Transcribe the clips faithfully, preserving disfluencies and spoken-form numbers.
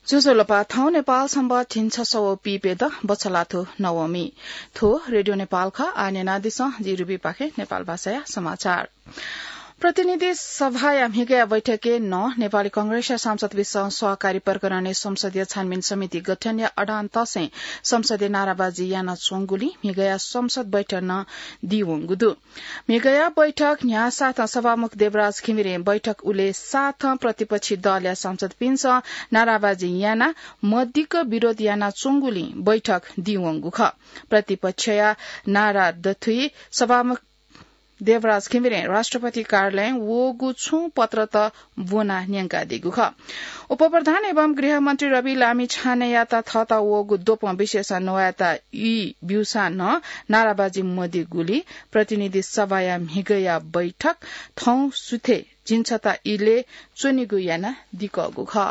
ज्वजलपा, थौं नेपाल संवत् झिंछसः व पीप्यदँ बछलाथ्व नवमी। थ्व रेडियो नेपाल खः। आः न्यनादिसँ, जि रुबीपाखें नेपाल भाषाया समाचार। प्रतिनिधि सभाया म्हिगःया बैठकय् नं नेपाली कांग्रेसया सांसदपिन्सं सहकारी प्रकरणय् संसदीय छानबिन समिति गठनया अडान तसें संसदय् नाराबाजी यानाच्वंगुलिं म्हिगःया संसद बैठक नं दीवंगु दु। म्हिगःया बैठक न्ह्याःसाथं सभामुख देवराज घिमिरें बैठक उलेसाथं प्रतिपक्षी दलया सांसदपिन्सं नाराबाजी यानाः मदिक्क विरोध यानाच्वंगुलिं बैठक दीवंगु खः। प्रतिपक्षया नारा दथुइ सभामुख देवराज घिमिरें राष्ट्रपति कार्यालयं वःगु छुं पत्रत ब्वनाः न्यंकादीगु खः। उपप्रधान एवं गृहमन्त्री रवि लामिछानेयात थःत वःगु द्वपं विषयसं न्ववायेत ई ब्यूसां नं नाराबाजी मदीगुलिं प्रतिनिधि सभाया म्हिगःया बैठक थौं सुथय् झिंछता इलय् च्वनेगु यानादीकःगु खः।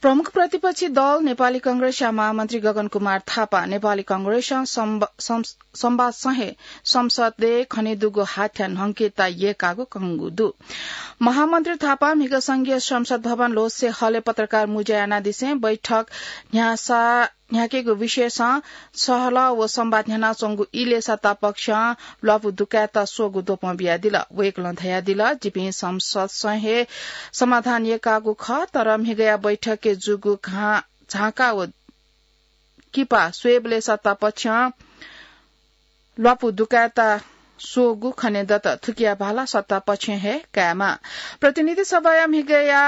प्रमुख प्रतिपक्षी दल नेपाली कांग्रेसया महामन्त्री गगन कुमार थापां नेपाली कांग्रेसं संब-, सं-, संवादसं हे संसदय् खनेदुगु हाथ्या न्हंकेत यय्कागु कंगु दु। महामन्त्री थापां म्हिगः संघीय संसद भवन ल्होसे हलय् पत्रकार मुजा यानादिसें बैठक न्ह्यासा न्ह्याकेगु विषयसं सहलह व संवाद न्ह्यानाच्वंगु इलय् सत्तापक्षं ल्वापु दुकायेत स्वःगु द्वपं बियादिल। वय्कलं धयादिल, जिपिं संसदसं हे समाधान यय्कागु खः, तर म्हिगःया बैठकय् जूगु घा-, झांका व किपा स्वयेबलय् सत्तापक्षं ल्वापु दुकायेत स्वःगु खनेदत। थुकिया भाला सत्तापक्षं हे कायेमाः। प्रतिनिधि सभाया म्हिगःया,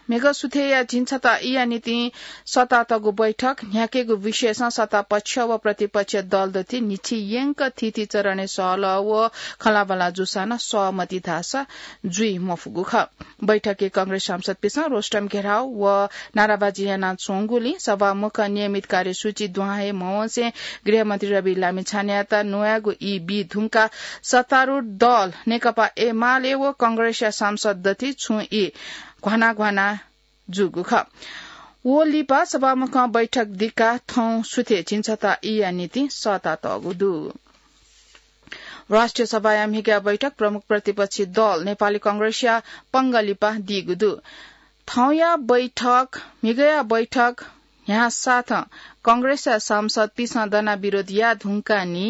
म्हिगः सुथय्या झिंछता ईया निंतिं सःतातःगु बैठक न्ह्याकेगु विषयसं सत्तापक्ष व प्रतिपक्ष दल दथुइ न्हिच्छि यंक थीथी चरणय् सहलह व खँल्हाबल्हा जूसां नं सहमति धाःसा जुइ मफुगु खः। बैठकय् कांग्रेस सांसदपिन्सं रोस्टम घेराउ व नाराबाजी यानाच्वंगुलिं सभामुखं नियमित कार्यसूची दुहां हे मवंसें गृहमन्त्री रवि लामिछानेयात न्ववायेगु ई बी धुंकाः सत्तारूढ दल नेकपा एमाले व कांग्रेसया सांसद दथुइ छुं ई घ्वाना घ्वाना जूगु खः। व लिपा सभामुखं बैठक दिकाः थौं सुथय् झिंछता ईया निंतिं सःतातःगु दु। राष्ट्रिय सभाया म्हिगःया बैठक प्रमुख प्रतिपक्षी दल नेपाली कांग्रेसया पंगः लिपा दीगु दु। थौंया बैठक, म्हिगःया बैठक न्ह्याःसाथं कांग्रेसया सांसदपिन्सं दनाः विरोध याये धुंकाः नि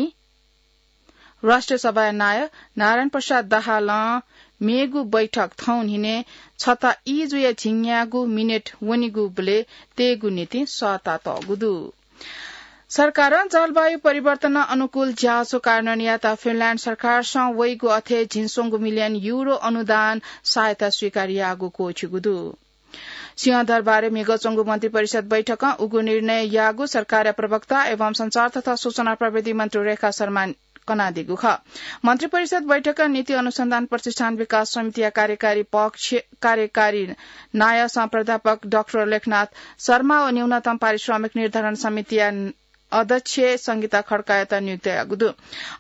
राष्ट्रिय सभाया नायः नारायण प्रसाद दाहालं मेगु बैठक थौं न्हिनय् छता ई जुया झिंन्यागू मिनेट वनीगुबलय् तयेगु निंतिं सःतातःगु दु। सरकारं जलवायु परिवर्तन अनुकूल ज्याझ्वः कार्यान्वयन यायेत फिनल्याण्ड सरकारसं वइगु अथे झिंस्वंगू मिलियन युरो अनुदान सहायता स्वीकार याःगु क्वःछिगु दु। सिंहदरबारय् म्हिगः च्वंगु मन्त्रिपरिषद बैठकं उगु निर्णय याःगु सरकारया प्रवक्ता एवं सञ्चार तथा सूचना प्रविधि मन्त्री रेखा शर्मां कनादीगु खः। मन्त्रिपरिषद बैठकं नीति अनुसन्धान प्रतिष्ठान विकास समितिया कार्यकारी पक्ष, कार्यकारी नायःसं प्राध्यापक डाक्टर लेखनाथ शर्मा व न्यूनतम पारिश्रमिक निर्धारण समितिया अध्यक्ष संगीता खड्कायात नियुक्त याःगु दु।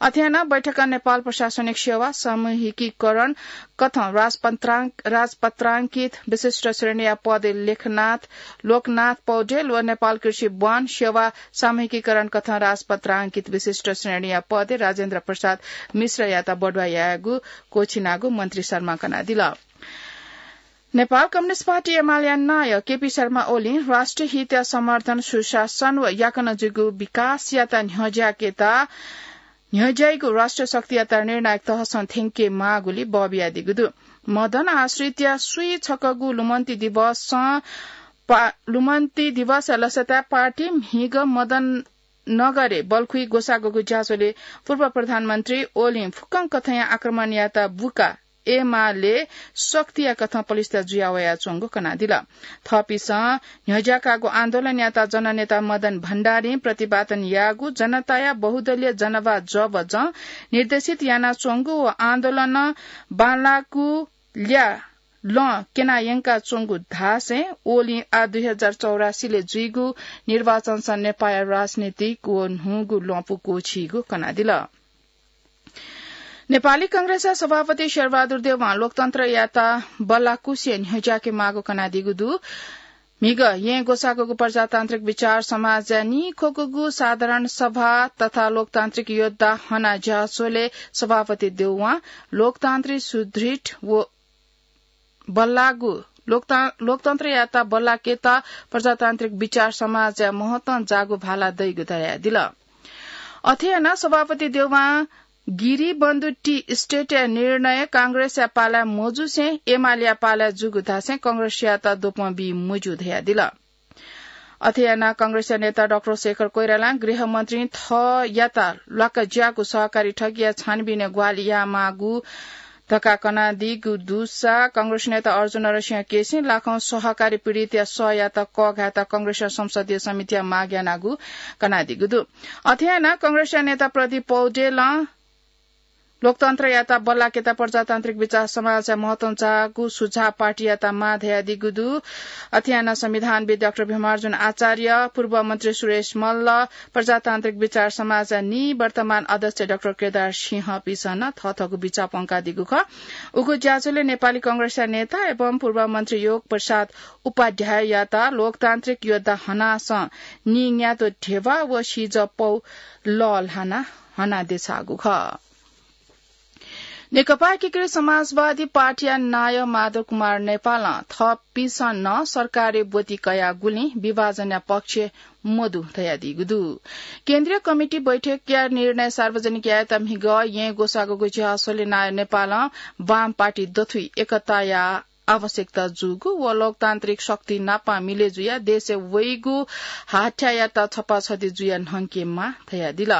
अथे यानाः बैठकं नेपाल प्रशासनिक सेवा सामूहिकीकरण कथं राजपत्रां-, राजपत्रांकित विशिष्ट श्रेणीया पदय् लेखनाथ, लोकनाथ पौडेल व नेपाल कृषि वन सेवा सामूहिकीकरण कथं राजपत्रांकित विशिष्ट श्रेणीया पदय् राजेन्द्र प्रसाद मिश्रयात बढुवा यायेगु क्वःछिनागु मन्त्री शर्मां कनादिल। नेपाल कम्युनिस्ट पार्टी एमालेया नायः केपी शर्मा ओलीं राष्ट्रिय हितया संवर्धन, सुशासन व याकनं जुइगु विकासयात न्ह्यज्याकेत न्ह्यज्याइगु राष्ट्रिय शक्तियात निर्णायक तहसं थ्यंके माःगुलिं बः बियादीगु दु। मदन आश्रितया स्वीछकःगु लुमन्ति दिवसं पा-, लुमन्ति दिवसया लसताय् पार्टी म्हिगः मदन नगरय् बल्खुइ ग्वसाःगु ज्याझ्वलय् पूर्व प्रधानमन्त्री ओलीं फुक्कं कथंया आक्रमण यायेत बुका एमाले शक्तिया कथं पलिस्था जुया वयाच्वंगु कनादिल। थःपिन्सं न्ह्यज्याकाःगु आन्दोलनयात जननेता मदन भण्डारीं प्रतिपादन याःगु जनताया बहुदलीय जनवाद जबजं निर्देशित यानाच्वंगु व आन्दोलनं बांलाःगु ल्या लं क्यना यंकाच्वंगु धासें ओलीं आः दुई हजार चौरासी ले जुइगु निर्वाचनसं नेपाःया राजनीतिक व न्हूगु ल्वपु क्वःछीगु कनादिल। नेपाली कांग्रेसया सभापति शेरबहादुर देउवां लोकतन्त्रयात बल्लाकुसिया न्ह्यज्याके माःगु कनादीगु दु। म्हिगः येँ ग्वसाःगु प्रजातान्त्रिक विचार समाजया नीख्वःगु साधारण सभा तथा लोकतान्त्रिक योद्धा हना ज्याझ्वलय् सभापति देउवां लोकतान्त्रिक सुदृढ व बल्लाःगु लोकतन्त्रयात बल्लाकेत प्रजातान्त्रिक विचार समाजया महत्वं जागु भाला दइगु धयादिल। अथे यानाः सभापति देउवां गिरिबन्धु टी स्टेटया निर्णय कांग्रेसया पालाय् मजुसें एमालेया पालाय् जुगु धासें कांग्रेसयात द्वपं बी मज्यू धयादिल। अथे यानाः कांग्रेसया नेता डाक्टर शेखर कोइरालां गृहमन्त्री थःयात ल्वाकज्याःगु सहकारी ठगीया छानबिनय् ग्वाहालि यायेमाःगु धकाः कनादीगु दुसा कांग्रेस नेता अर्जुन नरसिंह केसीं लाखौं सहकारी पीडितया सःयात कःघायेत कांग्रेसया संसदीय समितिया माग यानागु कनादीगु दु। अथे यानाः कांग्रेसया नेता प्रदीप पौडेलं लोकतन्त्रयात बल्लाकेत प्रजातान्त्रिक विचार समाजया महत्वं जाःगु सुझाव पार्टीयात माः धयादीगु दु। अथे यानाः संविधानविद् डाक्टर भीमार्जुन आचार्य, पूर्व मन्त्री सुरेश मल्ल, प्रजातान्त्रिक विचार समाजया निवर्तमान अध्यक्ष डाक्टर केदार सिंहपिसं नं थःथःगु बिचाः प्वंकादीगु खः। उगु ज्याझ्वलय् नेपाली कांग्रेसया नेता एवं पूर्व मन्त्री योग प्रसाद उपाध्याययात लोकतान्त्रिक योद्धा हनासं निंग्यातो ध्यबा व सिजः पौ लःल्हाना हनादेछाःगु खः। नेकपा एकीकृत समाजवादी पार्टीया नायः माधव कुमार नेपालं थःपिन्सं नं सरकारी ब्वति कयागुलिं विभाजनया पक्ष मदु धयादीगु दु। केन्द्रीय कमिटी बैठकया निर्णय सार्वजनिक यायेत म्हिगः येँ ग्वसाःगु ज्याझ्वलय् नायः नेपालं वाम पार्टी दथुइ एकताया आवश्यकता जूगु व लोकतान्त्रिक शक्ति नाप मिले जुयाः देशय् वइगु हाथ्यायात छपाछति जुयाः न्हंकेमाः धयादिल।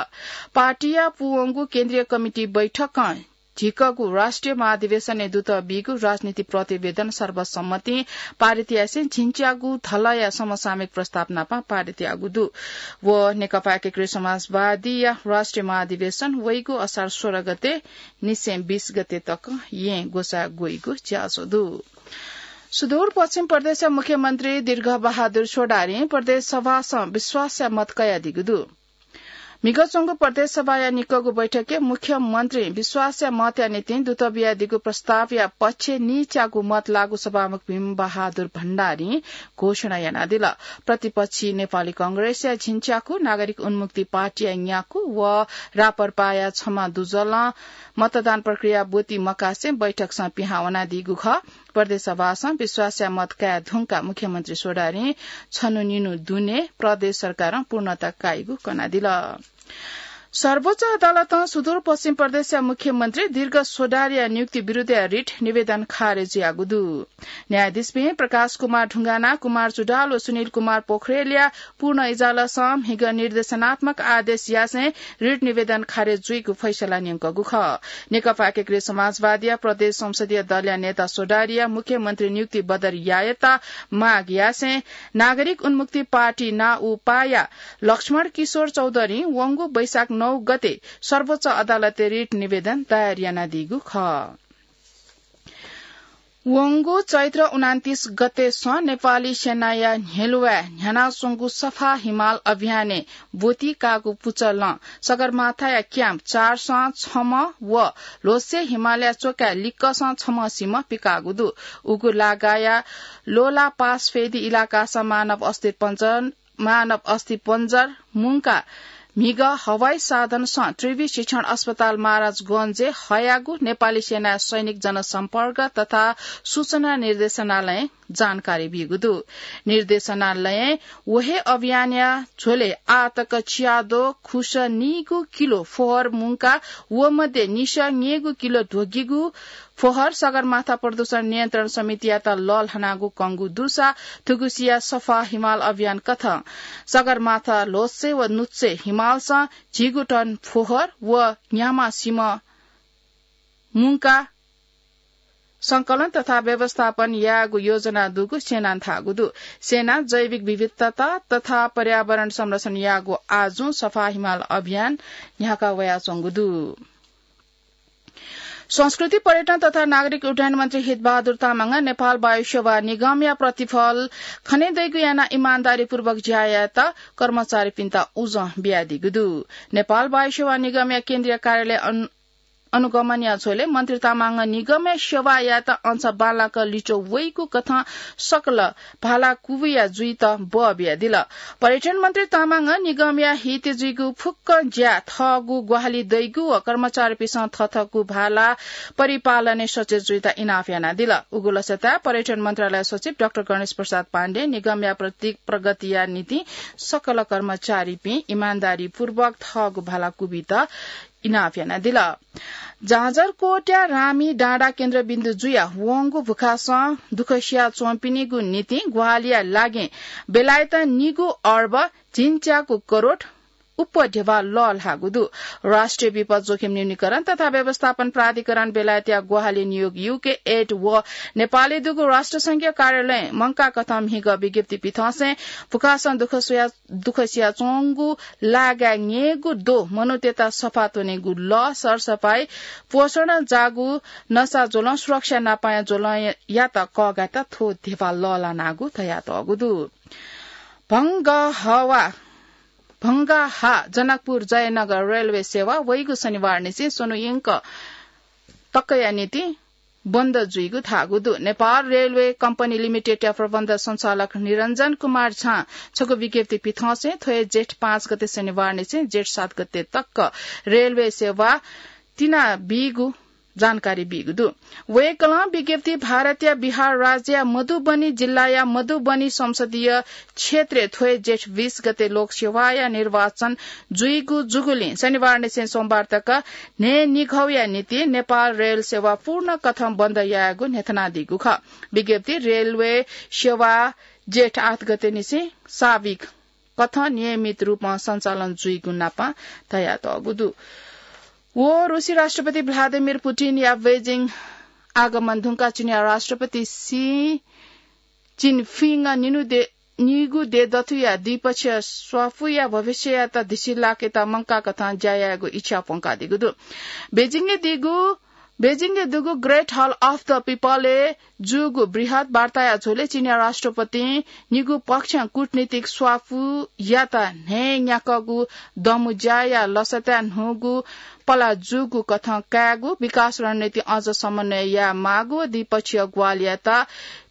पार्टीया पूवंगु केन्द्रीय कमिटी बैठकं झिकःगु राष्ट्रिय महाधिवेशनय् दुत बीगु राजनीतिक प्रतिवेदन सर्वसम्मतिं पारित यासें झिंच्यागु धलया समसामयिक प्रस्ताव नाप पारित याःगु दु। व नेकपा एकीकृत समाजवादीया राष्ट्रिय महाधिवेशन वइगु असार सोह्र गते निसें बीस गते तक येँ ग्वसाः ग्वइगु ज्याझ्वः दु। सुदूरपश्चिम प्रदेशया मुख्यमन्त्री दीर्घबहादुर चौधरीं प्रदेश सभासं विश्वासया मत कयादीगु दु। म्हिगः च्वंगु प्रदेश सभाया निकःगु बैठकय् मुख्यमन्त्रीं विश्वासया मतया निंतिं दुत बियादीगु प्रस्तावया पक्षय् निच्यागु मत लाःगु सभामुख भीमबहादुर भण्डारीं घोषणा यानादिल। प्रतिपक्षी नेपाली कांग्रेसया झिंच्याकु, नागरिक उन्मुक्ति पार्टीया न्याकु व राप्रपाया छम्ह दुजलं मतदान प्रक्रिया ब्वति मकासें बैठकसं पिहां वनादीगु खः। प्रदेश सभासं विश्वासया मत काये धुंकाः मुख्यमन्त्री चौधरीं छन्हु निन्हु दुने प्रदेश सरकारं पूर्णता काइगु कनादिल। सर्वोच्च अदालतं सुदूरपश्चिम प्रदेशया मुख्यमन्त्री दीर्घ चौधरीया नियुक्ति विरुद्धया रिट निवेदन खारेज याःगु दु। न्यायाधीशपिं प्रकाश कुमार ढुङ्गाना, कुमार जुडाल व सुनिल कुमार पोखरेलया पूर्ण इजलासं म्हिगः निर्देशनात्मक आदेश यासें रिट निवेदन खारेज जुइगु फैसला न्यंकूगु खः। नेकपा एकीकृत समाजवादीया प्रदेश संसदीय दलया नेता चौधरीया मुख्यमन्त्री नियुक्ति बदर यायेत माग यासें नागरिक उन्मुक्ति पार्टी नाउपाया लक्ष्मण किशोर चौधरीं वंगु वैशाख नौ गते सर्वोच्च अदालतय् रिट निवेदन दायर यानादीगु खः। वंगु चैत्र उनान्तीस गतेसं नेपाली सेनाया न्ह्यलुवाय् न्ह्यानाच्वंगु सफा हिमाल अभियानय् ब्वति काःगु पुचलं सगरमाथाया क्याम्प चारसं छम्ह व ल्होसे हिमालया च्वकाय् लिक्कसं छम्ह सिम्ह पिकाःगु दु। उगु लागाया लोला पासफेदी इलाकासं मानव अस्थिपञ्जर मानव अस्थिपञ्जर मुंकाः म्हिगः हवाई साधनसं त्रिवि शिक्षण अस्पताल महाराजगंजय् हयागु नेपाली सेनाया सैनिक जनसम्पर्क तथा सूचना निर्देशनालयं जानकारी बीगु दु। निर्देशनालयं व हे अभियानया झ्वलय् आःतक च्याद्वः खुसः नीगू किलो फोहोर मुंकाः व मध्ये निसः न्यय्गू किलो ध्वगिगु फोहोर सगरमाथा प्रदूषण नियन्त्रण समितियात लःल्हानागु कंगु दुसा थुगुसिया सफा हिमाल अभियान कथं सगरमाथा ल्होसे व नुच्चे हिमालसं झिगू टन फोहोर व न्ह्याम्ह सिम्ह मुंकाः संकलन तथा व्यवस्थापन यायेगु योजना दुगु सेनां धाःगु दु। सेनां जैविक विविधता तथा पर्यावरण संरक्षण यायेगु आजुं सफा हिमाल अभियान न्ह्याका वयाच्वंगु दु। संस्कृति, पर्यटन तथा नागरिक उड्डयन मन्त्री हितबहादुर तामाङं नेपाल वायुसेवा निगमया प्रतिफल खनेदइगु यानाः इमानदारीपूर्वक ज्या यायेत कर्मचारीपिन्त उजं बियादीगु दु। नेपाल वायुसेवा निगमया केन्द्रीय कार्यालय अन-, अनुगमनया झ्वलय् मन्त्री तामाङं निगमया सेवायात अंश बांलाक लिच्वः वइगु कथं सकल भाला कुबिया जुइत बः बियादिल। पर्यटन मन्त्री तामाङं निगमया हित जुइगु फुक्क ज्या थःगु ग्वाहालि दइगु व कर्मचारीपिसं थःथःगु भाला परिपालनय् सचेत जुइत इनाप यानादिल। उगु लसताय् पर्यटन मन्त्रालय सचिव डाक्टर गणेश प्रसाद पाण्डे निगमया प्रति-, प्रगतिया निंतिं सकल कर्मचारीपिं इमानदारीपूर्वक थःगु भाला कुबित इनाप यानादिल। जाजरकोटया रामी डाँडा केन्द्रबिन्दु जुयाः वंगु भुखासं दुःख सिया च्वंपिनिगु निंतिं ग्वाहालिया लागि बेलायतं निगू अर्ब झिंच्याकू करोड उपध्यबा लःल्हाःगु दु। राष्ट्रिय विपद जोखिम न्यूनीकरण तथा व्यवस्थापन प्राधिकरण बेलायतया ग्वाहालि नियोग युके एड व नेपालय् दुगु राष्ट्रसंघीय कार्यालयं मंकाः कथं म्हिगः विज्ञप्ति पिथंसें भुखासं दुःख सुया दुःख सियाच्वंगु लागाय् न्येगू द्वः मनूतय्त सफा त्वनेगु लः, सरसफाई, पोषण जागू नसा ज्वलं सुरक्षा नापाया ज्वलंयात कःघायेत थ्व ध्यबा लःल्हानागु धयातःगु दु। भंगहवा, भंगाहा जनकपुर जयनगर रेलवे सेवा वइगु शनिबारनिसें स्वन्हु यंक तकया निंतिं बन्द जुइगु धाःगु दु। नेपाल रेलवे कम्पनी लिमिटेडया प्रबन्ध सञ्चालक निरञ्जन कुमार झां छगू विज्ञप्ति पिथंसें थ्व हे जेठ पाँच गते शनिबारनिसें जेठ सात गते तक रेलवे सेवा तिनाबीगु जानकारी बीगु दु। वय्कलं विज्ञप्ति भारतया बिहार राज्यया मधुबनी जिल्लाया मधुबनी संसदीय क्षेत्रय् थ्व हे जेठ बीस गते लोकसेवाया निर्वाचन जुइगु जूगुलिं शनिबारनिसें सोमबार तक न्हय्निघौया निंतिं नेपाल रेल सेवा पूर्ण कथं बन्द यायेगु न्ह्यथनादीगु खः। विज्ञप्ति रेलवे सेवा जेठ आठ गतेनिसें स्वाभाविक कथं नियमित रूपं सञ्चालन जुइगु नापं धयातःगु दु। व रुसी राष्ट्रपति भ्लादिमिर पुटिनया बेजिङ आगमन धुंकाः चीनया राष्ट्रपति सी जिनपिङं निन्हु दे-, निगू दँय्दथुया द्विपक्षीय स्वापूया भविष्ययात धिसिलाकेत मंकाः कथं ज्या यायेगु इच्छा प्वंकादीगु दु। बेजिङय् दीगु, बेजिङय् दुगु Great Hall of the People-य् जूगु बृहत् वार्ताया झ्वलय् चीनया राष्ट्रपतिं निगू पक्षं कूटनीतिक स्वापूयात न्हय्न्याकःगु दँबुज्याया लसताय् न्हूगु पला जूगु कथं कायेगु, विकास रणनीति अझ समन्वय यायेमाःगु व द्विपक्षीय ग्वाहालियात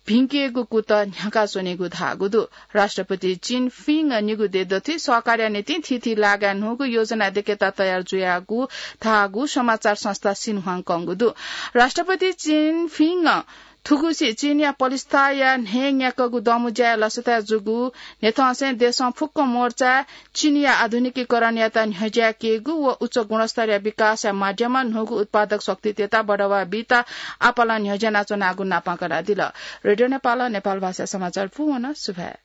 भिंकेगु कुतः न्ह्याकाच्वनेगु धाःगु दु। राष्ट्रपति जिनपिङं निगू दँय्दथुइ सहकार्या निंतिं थीथी लागाय् न्हूगु योजना दय्केत तयार जुयागु धाःगु समाचार संस्था सिन्हुवां कंगु दु। राष्ट्रपति जिनपिङं थुगुसी चीनया पलिस्थाया न्हय्न्याकःगु दँबुज्याया लसताय् जूगु न्ह्यथंसें देशं फुक्क मोर्चाय् चीनया आधुनिकीकरणयात न्ह्यज्यायेकेगु व उच्च गुणस्तरया विकासया माध्यमं न्हूगु उत्पादक शक्तितय्त बढावा बीत आपालं न्ह्यज्यानाच्वनागु नापं कनादिल। रेडियो नेपालं नेपाल भाषा समाचार पूवन सुभाय्।